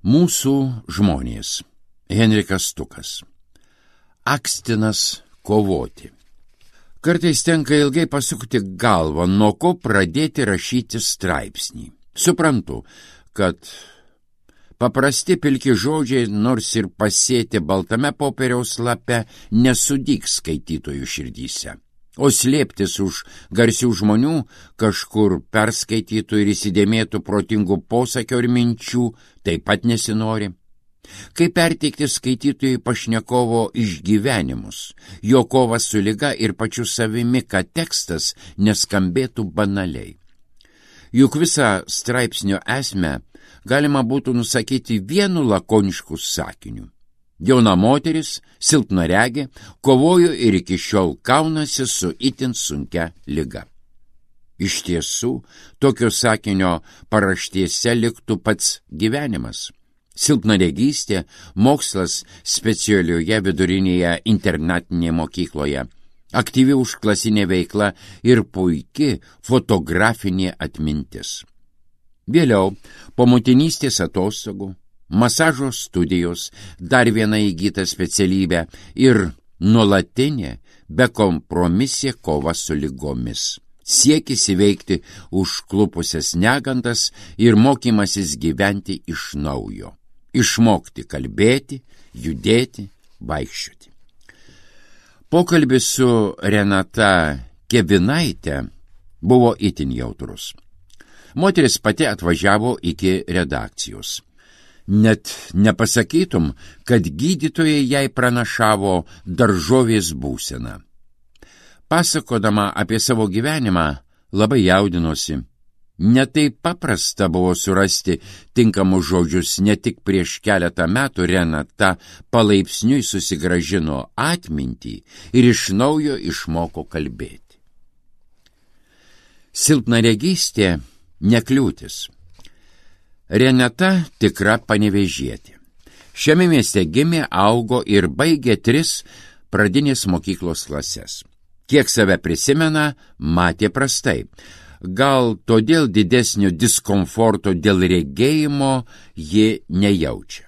Mūsų žmonės. Henrikas Stukas. Akstinas kovoti. Kartais tenka ilgai pasukti galvą, nuo ko pradėti rašyti straipsnį. Suprantu, kad paprasti pilki žodžiai, nors ir pasėti baltame popieriaus lape, nesudygs skaitytojų širdyse. O slėptis už garsių žmonių, kažkur perskaitytų ir įsidėmėtų protingų posakio ir minčių, taip pat nesinori. Kaip perteikti skaitytojui pašnekovo išgyvenimus, jo kovą su liga ir pačiu savimi, kad tekstas neskambėtų banaliai. Juk visą straipsnio esmę galima būtų nusakyti vienu lakonišku sakiniu. Jauna moteris, silpnaregė, kovojo ir iki šiol kaunasi su itin sunkia liga. Iš tiesų, tokio sakinio paraštėse liktų pats gyvenimas. Silpnaregystė, mokslas specialioje vidurinėje internatinėje mokykloje, aktyvi užklasinė veikla ir puiki fotografinė atmintis. Vėliau, po motinystės atostogų, masažo studijos, dar viena įgyta specialybė ir nuolatinė, bekompromisė kova su ligomis. Siekis įveikti užklupusias negandas ir mokymasis gyventi iš naujo. Išmokti kalbėti, judėti, vaikščioti. Pokalbis su Renata Kevinaite buvo itin jautrus. Moteris pati atvažiavo iki redakcijos. Net nepasakytum, kad gydytojai jai pranašavo daržovės būseną. Pasakodama apie savo gyvenimą, labai jaudinosi. Netaip paprasta buvo surasti tinkamus žodžius, ne tik prieš keletą metų Renata palaipsniui susigrąžino atmintį ir iš naujo išmoko kalbėti. Silpnaregystė nekliūtis. Renata tikra panevėžietė. Šiame mieste gimė, augo ir baigė 3 pradinės mokyklos klases. Kiek save prisimena, matė prastai. Gal todėl didesnio diskomforto dėl regėjimo ji nejaučia.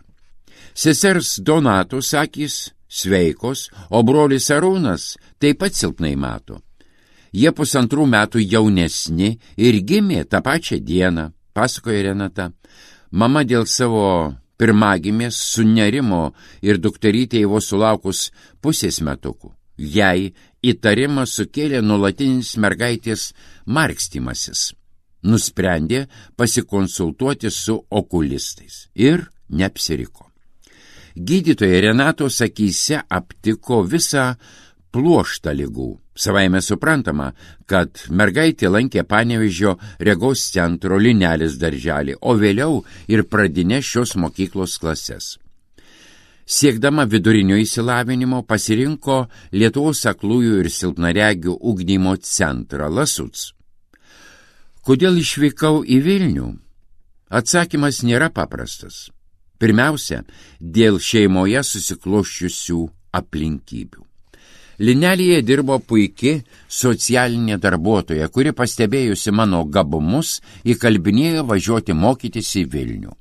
Sesers Donatos akys sveikos, o brolis Arūnas taip pat silpnai mato. Jie 1,5 metų jaunesni ir gimė tą pačią dieną, pasakoja Renata. Mama dėl savo pirmagimės sunerimo ir dukterytei vos sulaukus 0,5 metukų. Jai įtarimą sukėlė nuolatinis mergaitės markstymasis. Nusprendė pasikonsultuoti su okulistais ir neapsiriko. Gydytojai Renatos akyse aptiko visą pluoštą ligų. Savaime suprantama, kad mergaitė lankė Panevėžio regos centro Linelis darželį, o vėliau ir pradinės šios mokyklos klases. Siekdama vidurinio išsilavinimo pasirinko Lietuvos aklųjų ir silpnaregių ugdymo centrą Lasuc. Kodėl išvykau į Vilnių? Atsakymas nėra paprastas. Pirmiausia, dėl šeimoje susiklosčiusių aplinkybių. Linelėje dirbo puiki socialinė darbuotoja, kuri pastebėjusi mano gabumus įkalbinėjo važiuoti mokytis į Vilnių.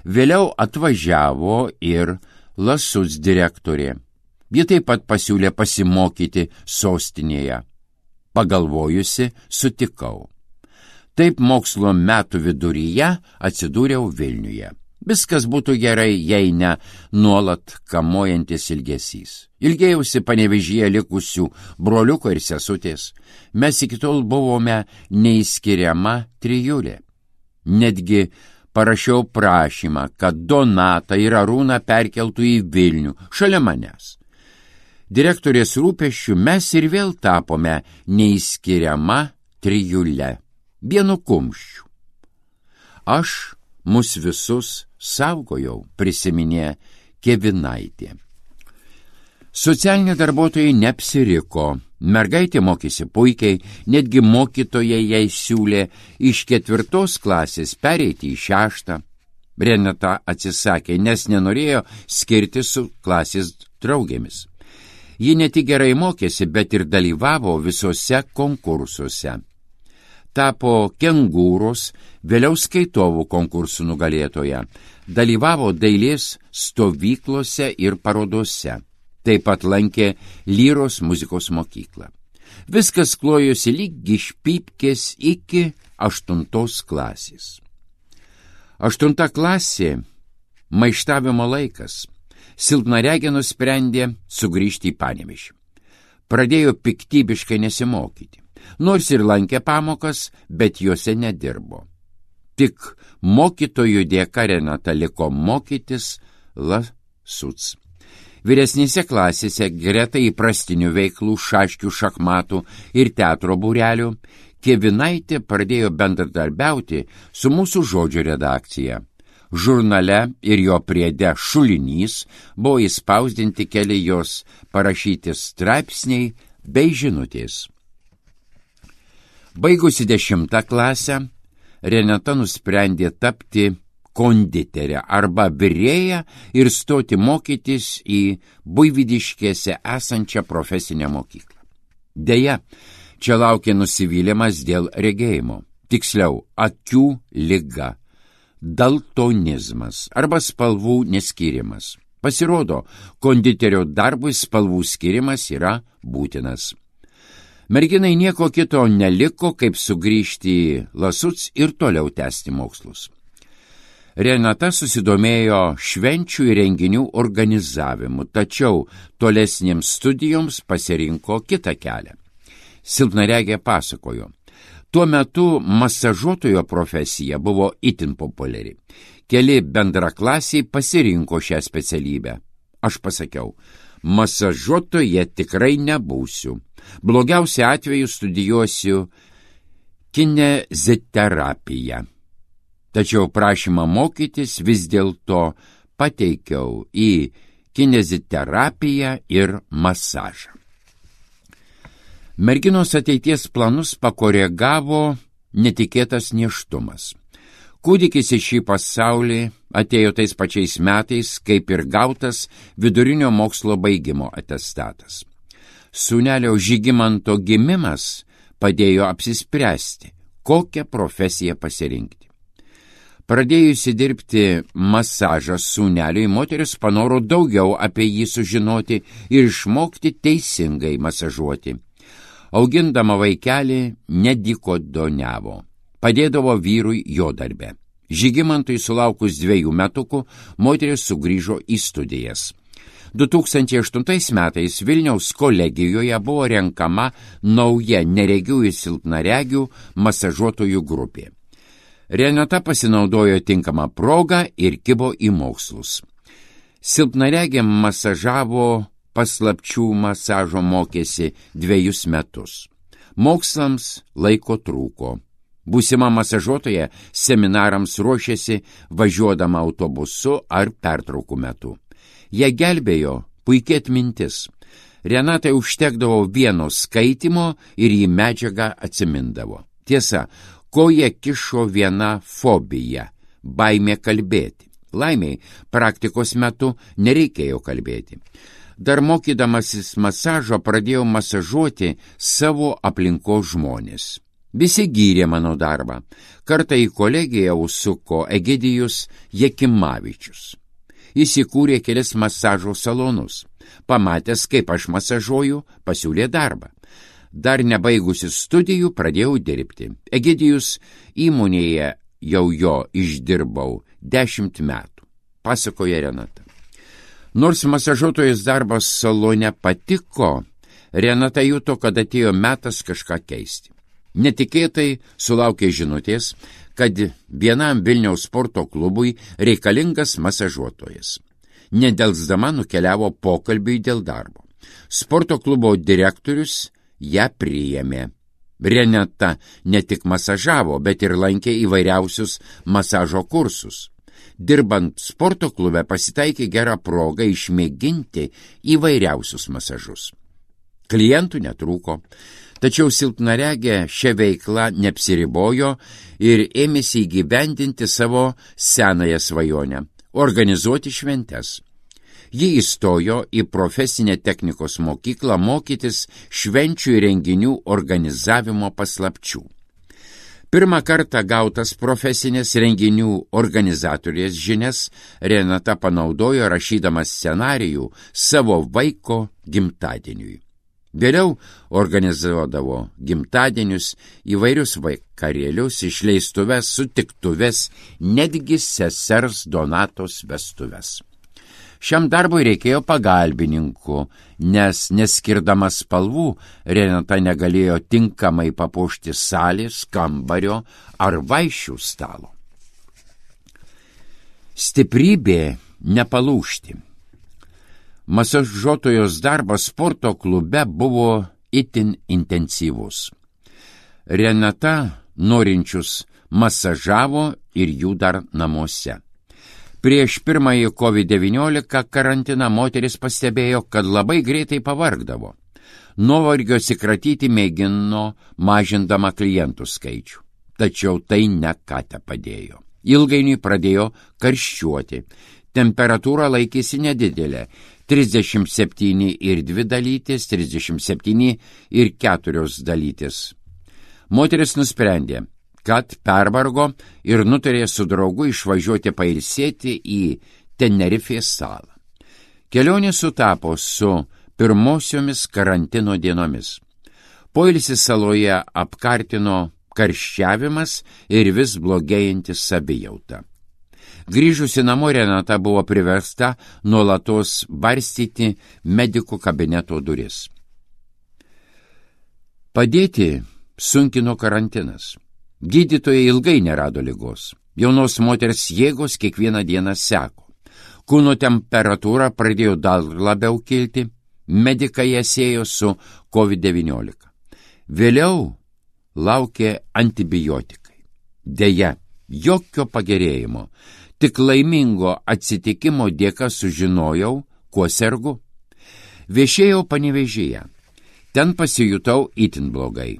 Vėliau atvažiavo ir Lasuc direktorė. Ji taip pat pasiūlė pasimokyti sostinėje. Pagalvojusi, sutikau. Taip mokslo metų viduryje atsidūriau Vilniuje. Viskas būtų gerai, jei ne nuolat kamuojantis ilgesys. Ilgėjausi Panevėžyje likusių broliuko ir sesutės. Mes iki tol buvome neįskiriama trijulė. Netgi parašiau prašymą, kad Donatą ir Arūną perkeltų į Vilnių, šalia manęs. Direktorės rūpesčių mes ir vėl tapome neįskiriama trijulė, vienu kumščiu. Aš mus visus saugojau, prisiminė Kevinaitė. Socialiniai darbuotojai neapsiriko. Mergaitė mokėsi puikiai, netgi mokytojai jai siūlė iš 4 klasės pereiti į 6. Renata atsisakė, nes nenorėjo skirti su klasės draugėmis. Ji ne tik gerai mokėsi, bet ir dalyvavo visose konkursuose. tapo kengūros, vėliau skaitovų konkursų nugalėtoja, dalyvavo dailės stovyklose ir parodose, taip pat lankė lyros muzikos mokyklą. Viskas klojosi lyg iš pypkės iki 8 klasės. 8 klasė – maištavimo laikas. Silpnaregė nusprendė sugrįžti į Panevėžį. Pradėjo piktybiškai nesimokyti. Nors ir lankė pamokas, bet juose nedirbo. Tik mokytojų dėka Renata liko mokytis Lasuc. Vyresnėse klasėse greta įprastinių veiklų, šaškių, šachmatų ir teatro būrelių, Kėvinaitė pradėjo bendradarbiauti su Mūsų žodžio redakcija. Žurnale ir jo priede Šulinys buvo įspausdinti keli jos parašyti straipsniai bei žinutės. Baigusi 10 klasę, Renata nusprendė tapti konditerę arba virėją ir stoti mokytis į Buivydiškėse esančią profesinę mokyklą. Deja, čia laukė nusivylimas dėl regėjimo, tiksliau akių liga, daltonizmas arba spalvų neskyrimas. Pasirodo, konditerio darbui spalvų skirimas yra būtinas. Merginai nieko kito neliko, kaip sugrįžti į Lasuc ir toliau tęsti mokslus. Renata susidomėjo švenčių ir renginių organizavimu, tačiau tolesniems studijoms pasirinko kitą kelią. Silpnaregė pasakojo, tuo metu masažuotojo profesija buvo itin populiari. Keli bendraklasiai pasirinko šią specialybę. Aš pasakiau, masažuotoje tikrai nebūsiu. Blogiausia atveju studijuosiu kineziterapiją. Tačiau prašymą mokytis vis dėlto pateikiau į kineziterapiją ir masažą. Merginos ateities planus pakoregavo netikėtas nėštumas. Kūdikis į šį pasaulį atėjo tais pačiais metais, kaip ir gautas vidurinio mokslo baigimo atestatas. Sūnelio Žygimanto gimimas padėjo apsispręsti, kokią profesiją pasirinkti. Pradėjusi dirbti masažą sūneliui, moteris panoro daugiau apie jį sužinoti ir išmokti teisingai masažuoti. Augindama vaikelį nedykodoniavo, padėdavo vyrui jo darbe. Žygimantui sulaukus 2 metukų, moteris sugrįžo į studijas. 2008 metais Vilniaus kolegijoje buvo renkama nauja neregių ir silpnaregių masažuotojų grupė. Renata pasinaudojo tinkamą progą ir kibo į mokslus. Silpnaregė masažavo paslapčių masažo mokėsi 2 metus. Mokslams laiko trūko. Būsima masažuotoja seminarams ruošėsi važiuodama autobusu ar pertraukų metu. Ją gelbėjo puikia atmintis. Renatai užtekdavo vieno skaitimo ir jį medžiagą atsimindavo. Tiesa, koja kišo viena fobija – baimė kalbėti. Laimiai, praktikos metu nereikėjo kalbėti. Dar mokydamasis masažo pradėjau masažuoti savo aplinkos žmonės. Visi gyrė mano darbą. Kartą į kolegiją užsuko Egidijus Jekimavičius. Jis įkūrė kelis masažo salonus. Pamatęs, kaip aš masažuoju, pasiūlė darbą. Dar nebaigusi studijų pradėjau dirbti. Egidijus įmonėje jau jo išdirbau 10 metų, pasakoja Renata. Nors masažuotojos darbas salone patiko, Renata juto, kad atėjo metas kažką keisti. Netikėtai sulaukė žinutės, kad vienam Vilniaus sporto klubui reikalingas masažuotojas. Nedelsdama nukeliavo pokalbiui dėl darbo. Sporto klubo direktorius ją priėmė. Renata ne tik masažavo, bet ir lankė įvairiausius masažo kursus. Dirbant sporto klube pasitaikė gera proga išmėginti įvairiausius masažus. Klientų netrūko, tačiau silpnaregė šią veiklą neapsiribojo ir ėmėsi įgyvendinti savo senąją svajonę – organizuoti šventes. Ji įstojo į profesinę technikos mokyklą mokytis švenčių ir renginių organizavimo paslapčių. Pirmą kartą gautas profesinės renginių organizatorės žinias Renata panaudojo rašydama scenarijų savo vaiko gimtadieniui. Vėliau organizuodavo gimtadienius, įvairius vakarėlius, išleistuves, sutiktuves, netgi sesers Donatos vestuves. Šiam darbui reikėjo pagalbininkų, nes neskirdama spalvų Renata negalėjo tinkamai papuošti salės, kambario ar vaišių stalo. Stiprybė nepalūžti. Masažuotojos darbas sporto klube buvo itin intensyvus. Renata norinčius masažavo ir jų dar namuose. Prieš pirmąjį COVID-19 karantiną moteris pastebėjo, kad labai greitai pavargdavo. Nuovargio atsikratyti mėgino mažindama klientų skaičių. Tačiau tai ne ką te padėjo. Ilgainiui pradėjo karščiuoti. Temperatūra laikėsi nedidelė – 37,2 dalytės, 37,4 dalytės. Moteris nusprendė, kad pervargo ir nutarė su draugu išvažiuoti pailsėti į Tenerifės salą. Kelionė sutapo su pirmosiomis karantino dienomis. Poilsį saloje apkartino karščiavimas ir vis blogėjanti savijauta. Grįžusi namo Renata buvo priversta nuolatos barstyti medikų kabineto duris. Padėti sunkino karantinas. Gydytojai ilgai nerado ligos. Jaunos moters jėgos kiekvieną dieną seko. Kūno temperatūra pradėjo dar labiau kilti. Medikai ją siejo su COVID-19. Vėliau laukė antibiotikai. Deja, jokio pagerėjimo. Tik laimingo atsitikimo dėka sužinojau, kuo sergu. Viešėjau Panevėžyje. Ten pasijutau itin blogai.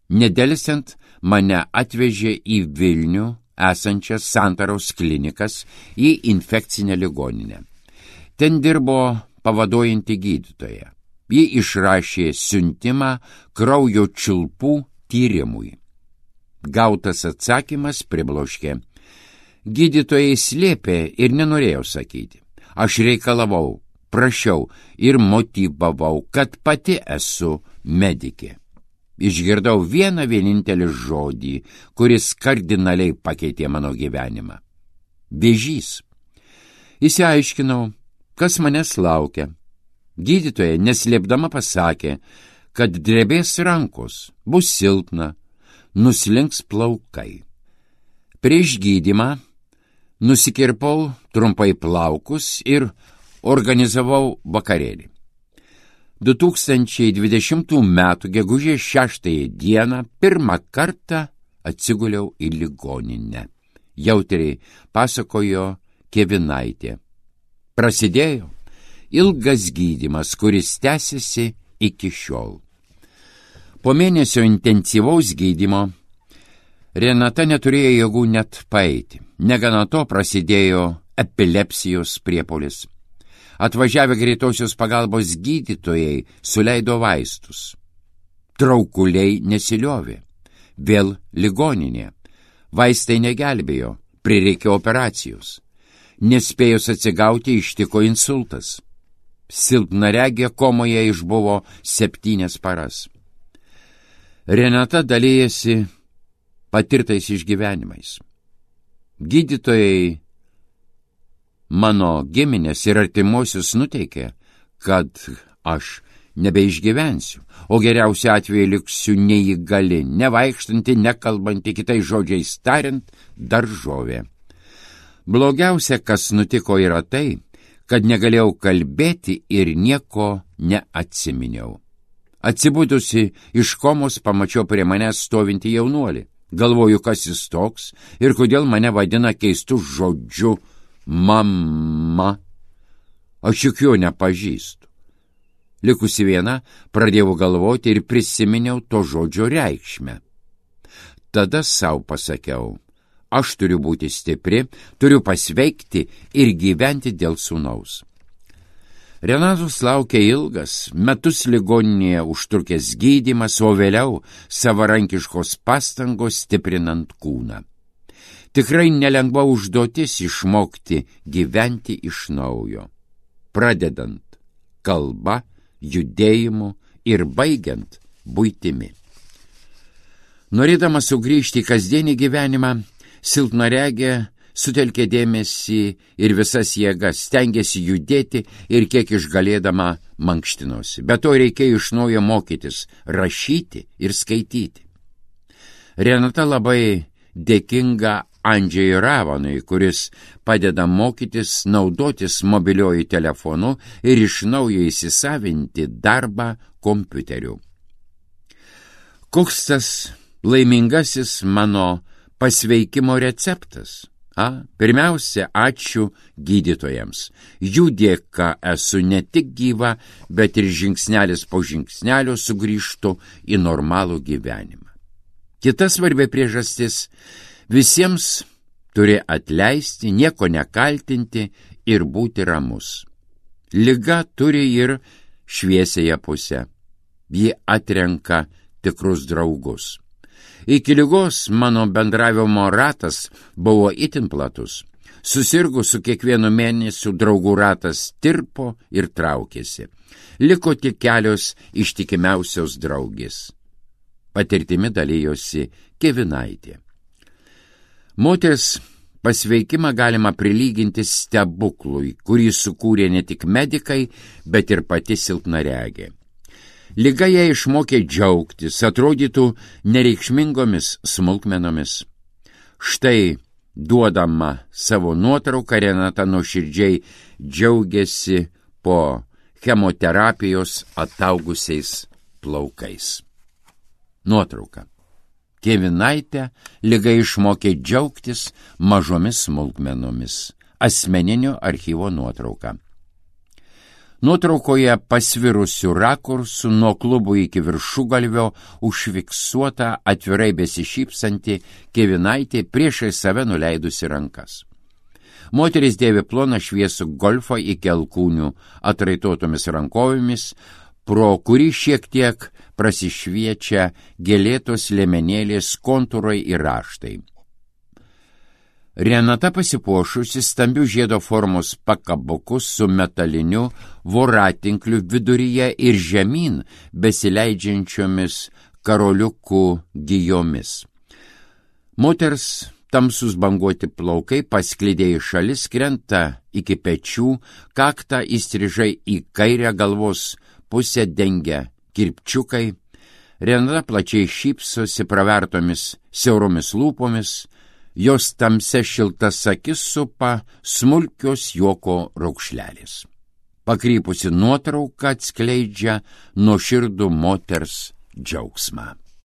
Nedelsiant mane atvežė į Vilnių esančias Santaros klinikas į infekcinę ligoninę. Ten dirbo pavaduojanti gydytoja. Ji išrašė siuntimą kraujo čiulpų tyrimui. Gautas atsakymas pribloškė. Gydytojai slėpė ir nenorėjau sakyti. Aš reikalavau, prašiau ir motyvavau, kad pati esu medikė. Išgirdau vieną vienintelį žodį, kuris kardinaliai pakeitė mano gyvenimą. Vėžys. Išsiaiškinau, kas manęs laukia. Gydytoja neslėpdama pasakė, kad drebės rankos, bus silpna, nuslinks plaukai. Prieš gydymą nusikirpau trumpai plaukus ir organizavau vakarėlį. 2020 metų gegužės 6 dieną pirmą kartą atsiguliau į ligoninę. Jautriai pasakojo Kevinaitė. Prasidėjo ilgas gydymas, kuris tęsiasi iki šiol. Po mėnesio intensyvaus gydymo Renata neturėjo jėgų net paeiti. Negana to prasidėjo epilepsijos priepuolis. Atvažiavę greitosios pagalbos gydytojai suleido vaistus. Traukuliai nesiliovė. Vėl ligoninė. Vaistai negelbėjo, prireikė operacijos. Nespėjus atsigauti ištiko insultas. Silpnaregė komoje išbuvo 7 paras. Renata dalijasi patirtais išgyvenimais. Gydytojai mano giminės ir artimuosius nuteikė, kad aš nebeišgyvensiu, o geriausiu atveju liksiu neįgali, nevaikštanti, nekalbanti, kitais žodžiais tariant, daržovė. Blogiausia, kas nutiko, yra tai, kad negalėjau kalbėti ir nieko neatsiminiau. Atsibudusi iš komos pamačiau prie manęs stovintį jaunuolį. Galvoju, kas jis toks ir kodėl mane vadina keistu žodžiu mama. Aš juk jo nepažįstu. Likusi viena, pradėjau galvoti ir prisiminiau to žodžio reikšmę. Tada sau pasakiau, aš turiu būti stipri, turiu pasveikti ir gyventi dėl sūnaus. Renatos laukia ilgas, metus ligoninėje užtrukęs gydymas, o vėliau savarankiškos pastangos stiprinant kūną. Tikrai nelengva užduotis išmokti gyventi iš naujo, pradedant kalba, judėjimu ir baigiant buitimi. Norėdama sugrįžti į kasdienį gyvenimą, silpnaregė sutelkė dėmesį ir visas jėgas, stengiasi judėti ir kiek išgalėdama mankštinosi. Be to reikėjo iš naujo mokytis, rašyti ir skaityti. Renata labai dėkinga Andžejui Ravanui, kuris padeda mokytis naudotis mobiliuoju telefonu ir iš naujo įsisavinti darbą kompiuteriu. Koks tas laimingasis mano pasveikimo receptas? Pirmiausia, ačiū gydytojams. Jų dėka esu ne tik gyva, bet ir žingsnelis po žingsnelio sugrįžtu į normalų gyvenimą. Kita svarbi priežastis – visiems turi atleisti, nieko nekaltinti ir būti ramus. Liga turi ir šviesiąją pusę. Ji atrenka tikrus draugus. Iki ligos mano bendravimo ratas buvo itin platus. Susirgus su kiekvienu mėnesiu draugų ratas tirpo ir traukėsi. Liko tik kelios ištikimiausios draugės. Patirtimi dalijosi Kėvinaitė. Moters pasveikimą galima prilyginti stebuklui, kurį sukūrė ne tik medikai, bet ir pati silpnaregė. Liga ją išmokė džiaugtis, atrodytų nereikšmingomis smulkmenomis. Štai, duodama savo nuotrauką, Renata nuoširdžiai džiaugiasi po chemoterapijos ataugusiais plaukais. Nuotrauka. Kėvinaitė liga išmokė džiaugtis mažomis smulkmenomis. Asmeninio archyvo nuotrauka. Nuotraukoje pasvirusių rakursų nuo klubų iki viršugalvio užfiksuota atvirai besišypsanti Kėvinaitė priešai save nuleidusi rankas. Moteris dėvi ploną šviesų golfą iki alkūnių atraitotomis rankovėmis, pro kurį šiek tiek prasišviečia gėlėtos liemenėlės kontūrai ir raštai. Renata pasipuošusi stambių žiedo formos pakabukus su metaliniu voratinkliu viduryje ir žemyn besileidžiančiomis karoliukų gijomis. Moters tamsus banguoti plaukai pasklidė į šalis, krenta iki pečių, kaktą įstrižai į kairę galvos pusę dengia kirpčiukai. Renata plačiai šypsosi pravertomis siauromis lūpomis, jos tamsia šiltas akis supa smulkios juoko raukšlelės. Pakrypusi nuotrauka atskleidžia nuoširdų moters džiaugsmą.